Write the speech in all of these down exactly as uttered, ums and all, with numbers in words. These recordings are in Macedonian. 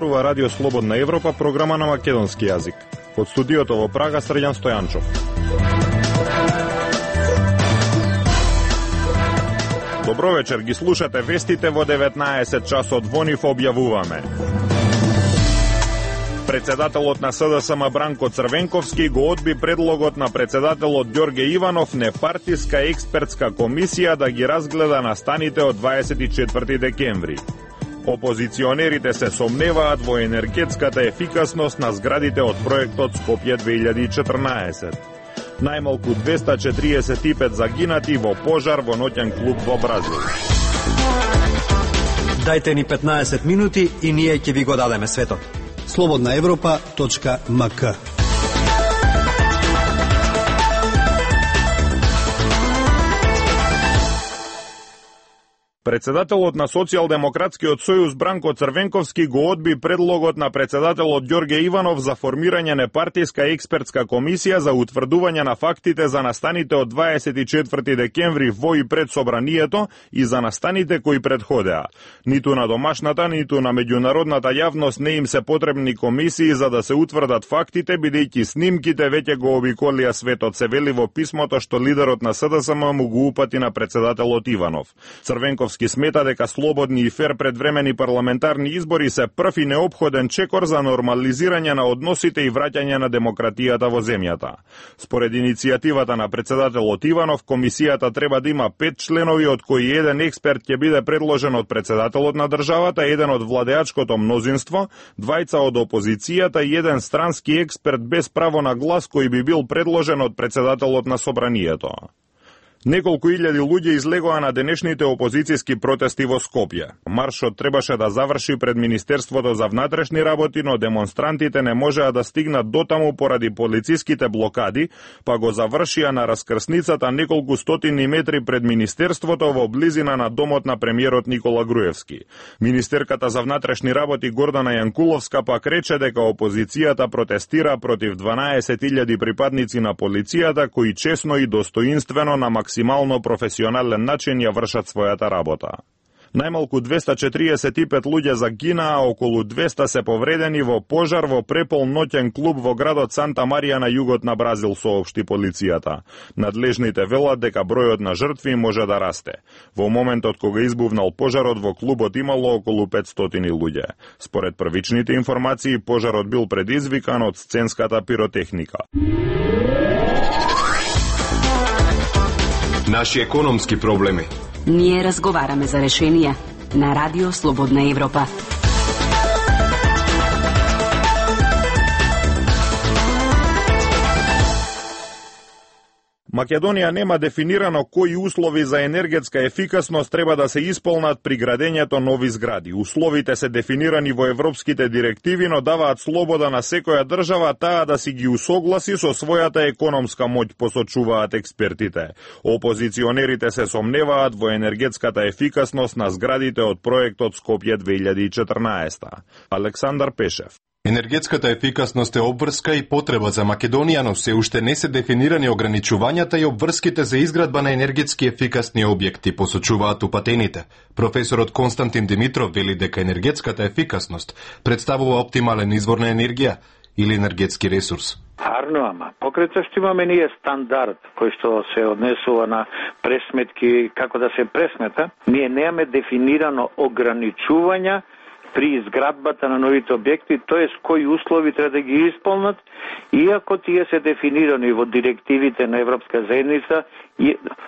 зборува Радио Слободна Европа, програма на македонски јазик. Од студиото во Прага, Срđan Стојанчов. Добро вечер, ги слушате вестите во деветнаесет часот. Во нив објавуваме. Председателот на СДСМ Бранко Црвенковски го одби предлогот на председателот Ѓорге Иванов непартиска експертска комисија да ги разгледа настаните од дваесет и четврти декември. Опозиционерите се сомневаат во енергетската ефикасност на зградите од проектот Скопје две илјади и четрнаесет. Најмалку двеста четириесет и пет загинати во пожар во ноќен клуб во Бразил. Дајте ни петнаесет минути и ние ќе ви го дадеме светот. слободна европа точка ем ка. Председателот на Социјалдемократскиот сојуз Бранко Црвенковски го одби предлогот на председателот Ѓорге Иванов за формирање непартиска експертска комисија за утврдување на фактите за настаните од дваесет и четврти декември во и пред собранието и за настаните кои предходеа. Ниту на домашната, ниту на меѓународната јавност не им се потребни комисии за да се утврдат фактите, бидејќи снимките веќе го обиколија светот, се вели во писмото што лидерот на СДСМ му го упати на председателот Иванов. Црвенков смета дека слободни и фер предвремени парламентарни избори се прв и неопходен чекор за нормализирање на односите и враќање на демократијата во земјата. Според иницијативата на председателот Иванов, комисијата треба да има пет членови, од кои еден експерт ќе биде предложен од председателот на државата, еден од владеачкото мнозинство, двајца од опозицијата и еден странски експерт без право на глас кој би бил предложен од председателот на собранието. Неколку илјади луѓе излегоа на денешните опозицијски протести во Скопје. Маршот требаше да заврши пред Министерството за внатрешни работи, но демонстрантите не можеа да стигнат дотаму поради полициските блокади, па го завршија на раскрсницата неколку стотини метри пред Министерството во близина на домот на премиерот Никола Груевски. Министерката за внатрешни работи Гордана Јанкуловска пак рече дека опозицијата протестира против дванаесет илјади припадници на полицијата кои честно и достоинствено на максимално професионален начин ја вршат својата работа. Најмалку двеста четириесет и пет луѓе загинаа, а околу двеста се повредени во пожар во препол ноќен клуб во градот Санта Марија на југот на Бразил, соопшти полицијата. Надлежните велат дека бројот на жртви може да расте. Во моментот кога избувнал пожарот во клубот имало околу петстотини луѓе. Според првичните информации, пожарот бил предизвикан од сценската пиротехника. Наши економски проблеми. Ние разговараме за решенија на Радио Слободна Европа. Македонија нема дефинирано кои услови за енергетска ефикасност треба да се исполнат при градењето нови згради. Условите се дефинирани во европските директиви, но даваат слобода на секоја држава таа да си ги усогласи со својата економска моќ, посочуваат експертите. Опозиционерите се сомневаат во енергетската ефикасност на зградите од проектот Скопје две илјади и четрнаесета. Александар Пешев. Енергетската ефикасност е обврска и потреба за Македонија, но се уште не се дефинирани ограничувањата и обврските за изградба на енергетски ефикасни објекти, посочуваат упатените. Професорот Константин Димитров вели дека енергетската ефикасност представува оптимален извор на енергија или енергетски ресурс. Арно, ама, покрај тоа што имаме ние стандард кој што се однесува на пресметки, како да се пресмета, ние немаме дефинирано ограничувања при изградбата на новите објекти, тоест кои услови треба да ги исполнат, иако тие се дефинирани во директивите на Европска заедница,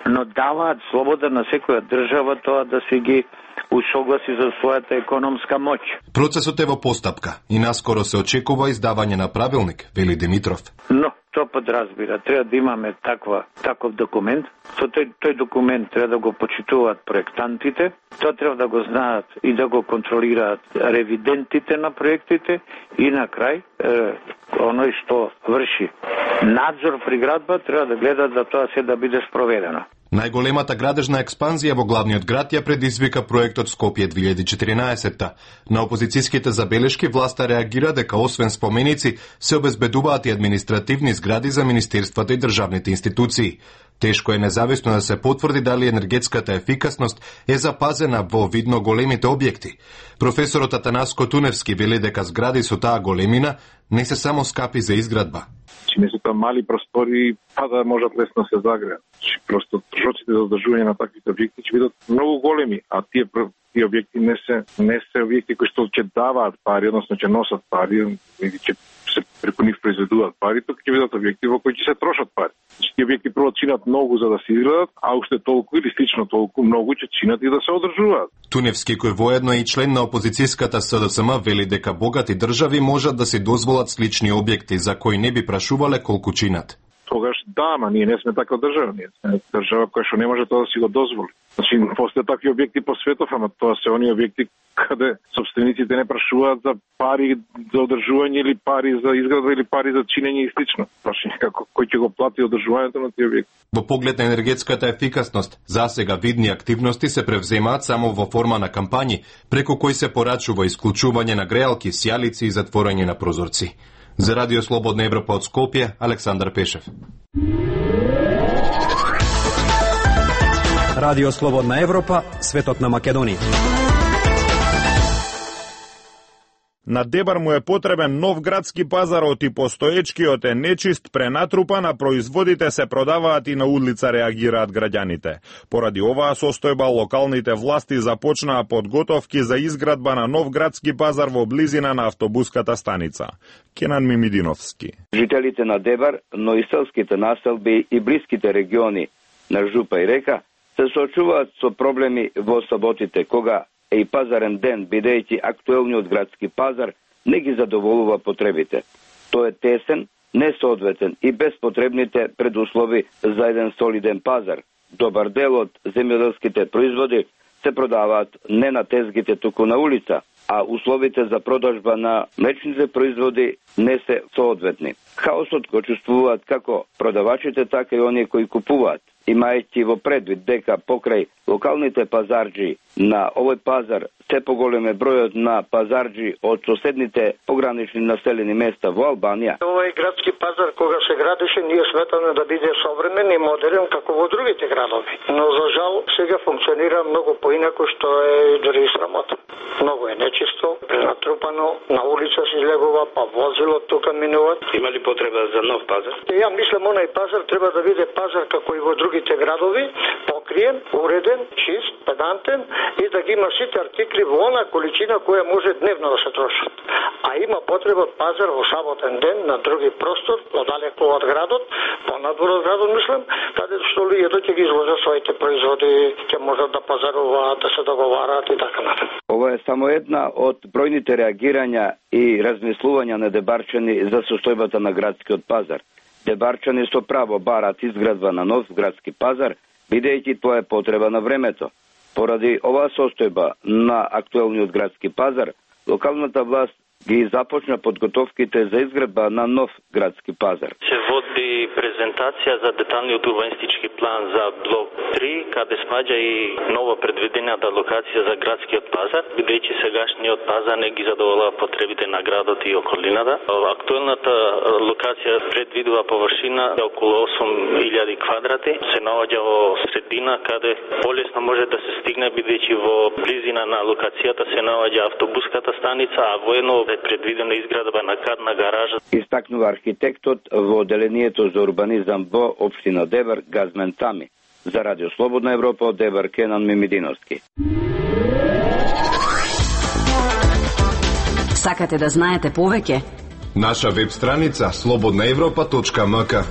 но даваат слобода на секоја држава тоа да се ги усогласи за својата економска моќ. Процесот е во постапка и наскоро се очекува издавање на правилник, вели Димитров. Но тоа подразбира, треба да имаме таква, таков документ. Со тој, тој документ треба да го почитуваат проектантите, тоа треба да го знаат и да го контролираат ревидентите на проектите и на крај, е, оној што врши надзор при градба треба да гледа да тоа се да биде спроведено. Најголемата градежна експанзија во главниот град ја предизвика проектот Скопје две илјади и четиринаесетта. На опозицијските забелешки власта реагира дека освен споменици се обезбедуваат и административни згради за министерствата и државните институции. Тешко е независно да се потврди дали енергетската ефикасност е запазена во видно големите објекти. Професорот Атанаско Туневски вели дека згради со таа големина не се само скапи за изградба. Че не се тоа мали простори, па да можат лесно се загреат. Просто трошоците за одржување на таквите објекти ќе бидат многу големи, а тие тие објекти не се не се објекти кои што ќе даваат пари, односно ќе носат пари, или ќе се преку нив произведуваат пари, тука ќе бидат објекти во кои ќе се трошат пари. Тие објекти прво чинат многу за да се изградат, а уште толку или слично толку многу ќе чинат и да се одржуваат. Туневски, кој воедно е и член на опозицијската С Д С М, вели дека богати држави можат да се дозволат слични објекти за кои не би прашувале колку чинат. Тогаш да, ама ние не сме таква држава, ние сме држава која што не може тоа да си го дозволи. Значи, постојат такви објекти по светов, ама тоа се они објекти каде собствениците не прашуваат за пари за одржување или пари за изградба или пари за чинење и слично. Значи, како кој ќе го плати одржувањето на тие објекти. Во поглед на енергетската ефикасност, засега видни активности се превземаат само во форма на кампањи, преку кои се порачува исклучување на греалки, сјалици и затворање на прозорци. За Радио Слободна Европа од Скопје, Александар Пешев. Радио Слободна Европа, светот на Македонија. На Дебар му е потребен нов градски пазар, оти постоечкиот е нечист, пренатрупан, а производите се продаваат и на улица, реагираат граѓаните. Поради оваа состојба, локалните власти започнаа подготовки за изградба на нов градски пазар во близина на автобуската станица. Кенан Мимидиновски. Жителите на Дебар, но и селските населби и блиските региони на Жупа и Река се соочуваат со проблеми во саботите, кога е и пазарен ден, бидејќи актуелниот градски пазар не ги задоволува потребите. Тој е тесен, несоодветен и без потребните предуслови за еден солиден пазар. Добар дел од земјоделските производи се продаваат не на тезгите, туку на улица, а условите за продажба на млечните производи не се соодветни. Хаосот го чувствуваат како продавачите, така и оние кои купуваат, имајќи во предвид дека покрај локалните пазарџи на овој пазар се поголем е бројот на пазарџи од соседните погранични населени места во Албанија. Овој градски пазар кога се градеше, ние сметаме да биде современ и модерен како во другите градови. Но за жал сега функционира многу поинако, што е дори срамота. Многу е нечисто, пренатрупано, на улица се излегува, па возило тука минуваат. Има ли потреба за нов пазар? Ја мислам, онај пазар треба да биде пазар како и во другите градови, покриен, уреден, чист, педантен и да ги има сите артикли во она количина која може дневно да се трошат. А има потреба од пазар во саботен ден на други простор, подалеку од градот, понадвор од градот, мислам, каде што луѓето ќе ги изложат своите производи, ќе можат да пазаруваат, да се договараат и така натаму. Ова е само една од бројните реагирања и размислувања на дебарчани за состојбата на градскиот пазар. Дебарчани со право барат изградба на нов градски пазар, бидејќи тоа е потреба на времето. Поради оваа состојба на актуелниот градски пазар, локалната власт ги започна подготовките за изградба на нов градски пазар. Се води презентација за деталниот урбанистички план за блок три, каде спаѓа и нова предвидената локација за градскиот пазар, бидејќи сегашниот пазар не ги задоволува потребите на градот и околината. Актуелната локација предвидува површина околу осум илјади квадрати, се наоѓа во средина каде полесно може да се стигне, бидејќи во близина на локацијата се наоѓа автобуската станица, а воедно е предвидена изградба на кадна гаража. Истакнува архитектот во Оделението за урбанизам во општина Дебар Газмен Тами. За Радио Слободна Европа од Дебар, Кенан Мимидиновски. Сакате да знаете повеќе? Наша веб страница слободна европа точка м к.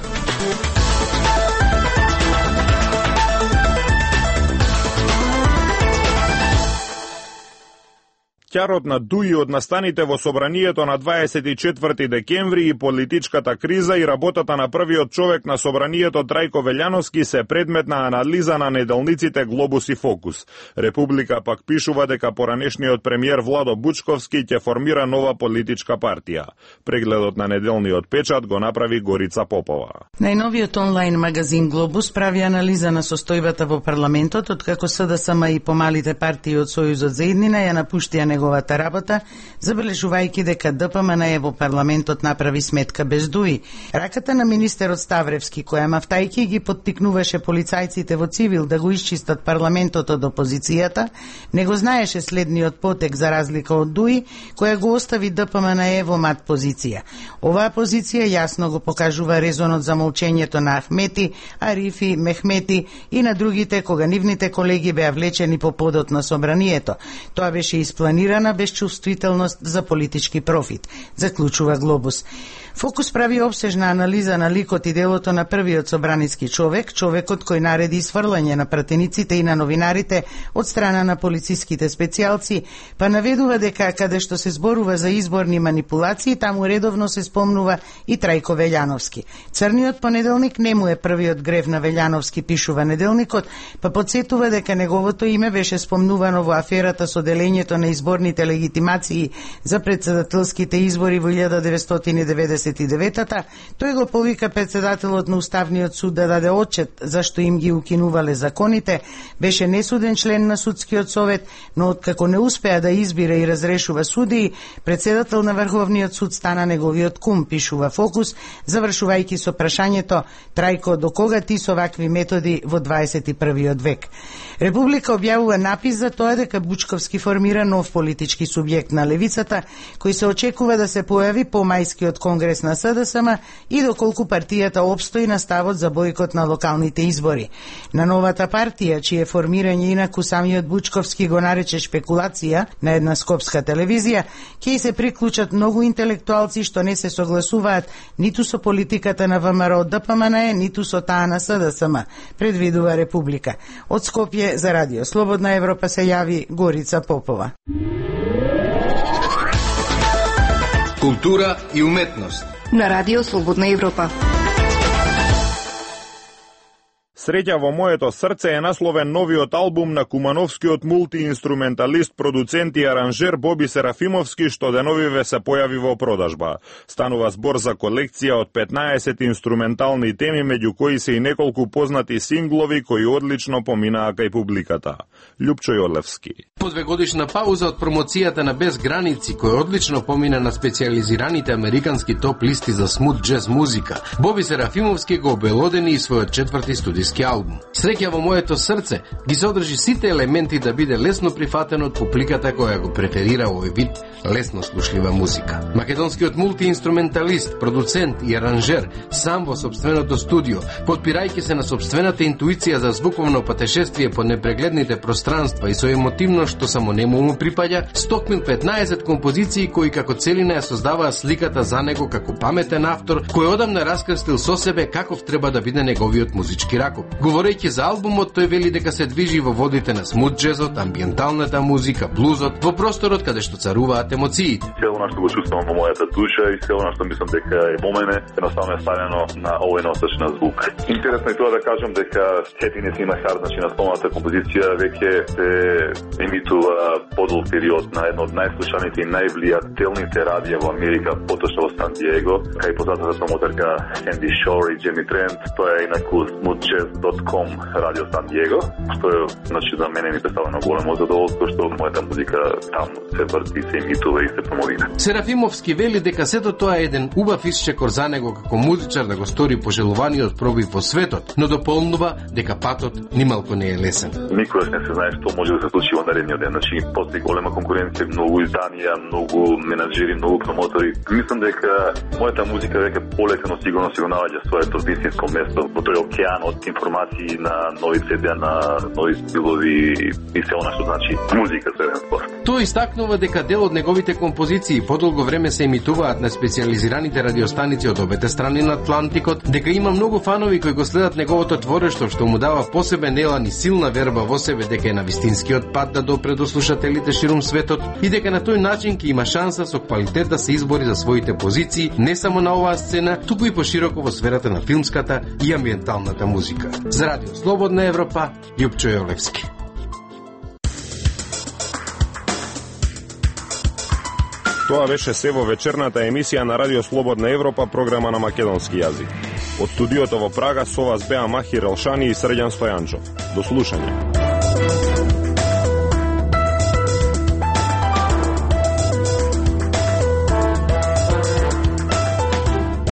Ќарот на Дуи од настаните во собранието на дваесет и четврти декември и политичката криза и работата на првиот човек на собранието Трајко Велјановски се предмет на анализа на неделниците Глобус и Фокус. Република пак пишува дека поранешниот премиер Владо Бучковски ќе формира нова политичка партија. Прегледот на неделниот печат го направи Горица Попова. Најновиот онлайн магазин Глобус прави анализа на состојбата во парламентот, откако СДСМ и помалите партии од Сојузот за иднина ја напуштија неговата работа, забележувајќи дека ДПМН во парламентот направи сметка без Дуи. Раката на министерот Ставревски, која мафтајки ги поттикнуваше полицајците во цивил да го исчистат парламентот од опозицијата, не го знаеше следниот потек за разлика од Дуи, која го остави ДПМН во мат позиција. Оваа позиција јасно го покажува резонот за молчењето на Ахмети, Арифи, Мехмети и на другите кога нивните колеги беа влечени по подот на собранието. Тоа беше испланирана безчувствителност за политички профит, заклучува Глобус. Фокус прави обсежна анализа на ликот и делото на првиот собраниски човек, човекот кој нареди сврлање на пратениците и на новинарите од страна на полициските специјалци, па наведува дека каде што се зборува за изборни манипулации, таму редовно се спомнува и Трајко Велјановски. Црниот понеделник не му е првиот грев на Велјановски, пишува неделникот, па подсетува дека неговото име беше спомнувано во аферата со делењето на изборните легитимации за председателските избори во илјада деветстотини деветдесет и деветта. Тој го повика председателот на Уставниот суд да даде отчет зашто им ги укинувале законите, беше несуден член на судскиот совет, но откако не успеа да избира и разрешува судии, председател на Врховниот суд стана неговиот кум, пишува Фокус, завршувајќи со прашањето: Трајко, до кога ти со вакви методи во дваесет и првиот век? Република објавува напис за тоа дека Бучковски формира нов политички субјект на левицата, кој се очекува да се појави по мајскиот конгрес на СДСМ и доколку партијата опстои на ставот за бојкот на локалните избори. На новата партија, чие формирање инаку самиот Бучковски го нарече шпекулација на една скопска телевизија, ќе се приклучат многу интелектуалци што не се согласуваат ниту со политиката на ВМРО ДПМН, ниту со таа на СДСМ, предвидува Република. Од Скопје за Радио Слободна Европа се јави Горица Попова. Култура и уметност на Радио Слободна Европа. Среќа во моето срце е насловен новиот албум на кумановскиот мултиинструменталист, продуцент и аранжер Боби Серафимовски, што деновиве се појави во продажба. Станува збор за колекција од петнаесет инструментални теми, меѓу кои се и неколку познати синглови кои одлично поминаа кај публиката. Љупчо Јолевски. По двегодишна пауза од промоцијата на Без граници, кој одлично помина на специјализираните американски топ листи за смут джез музика, Боби Серафимовски го обелодени и својот четврти студиски албум. Среќа во моето срце ги содржи сите елементи да биде лесно прифатен од публиката која го преферира овој вид лесно слушлива музика. Македонскиот мултиинструменталист, продуцент и аранжер, сам во собственото студио, подпирајќи се на собствената интуиција за звуковно патешествие по непрегледните пространства и со емотивно што само нему му припаѓа, стокмил петнаесет композиции кои како целина ја создаваа сликата за него како паметен автор кој одамна раскрстил со себе каков треба да биде неговиот музички ракоп. Говорејќи за албумот, тој вели дека се движи во водите на смут джезот, амбиенталната музика, блузот, во просторот каде што царуваат емоциите. Се она што го чувствувам во мојата душа и се она што мислам дека е во мене, едноставно е ставено на овој носач на звук. Интересно е тоа да кажам дека Happiness in my Heart, значи на спомната композиција, веќе се емитува подолг период на едно од најслушаните и највлијателните радија во Америка, поточно во Сан Диего, кај познатата промотерка Sandy Shore и Джеми Трент. Тоа е инаку smooth jazz dot com радио Сан Диего, што е, значи, за мене ми представено големо задоволство што мојата музика таму се врти, се емитува и се промовира. Серафимовски вели дека сето тоа е еден убав исчекор за него како музичар да го стори пожелуваниот пробив во светот, но дополнува дека патот нималку не е лесен. Никогаш не се знае што може да се случи во наредниот ден. Значи, постои голема конкуренција, многу изданија, многу менаџери, многу промотори. Мислам дека мојата музика веќе полека, но сигурно си го наоѓа своето вистинско место во тој океан од информации, на нови цедија, на нови стилови и се она што значи музика за еден спорт. Тој истакнува дека дел од неговите композиции подолго време се емитуваат на специјализираните радиостаници од обете страни на Атлантикот, дека има многу фанови кои го следат неговото творештво, што му дава посебен елан и силна верба во себе дека е на вистинскиот пат да допре до слушателите ширум светот и дека на тој начин ќе има шанса со квалитет да се избори за своите позиции не само на оваа сцена, туку и пошироко во сферата на филмската и амбиенталната музика. За Радио Слободна Европа, Јупчо Јолевски. Тоа беше се во вечерната емисија на Радио Слободна Европа, програма на македонски јазик. Од студиото во Прага со вас беа Махир Елшани и Срđan Стојанчов. До слушање.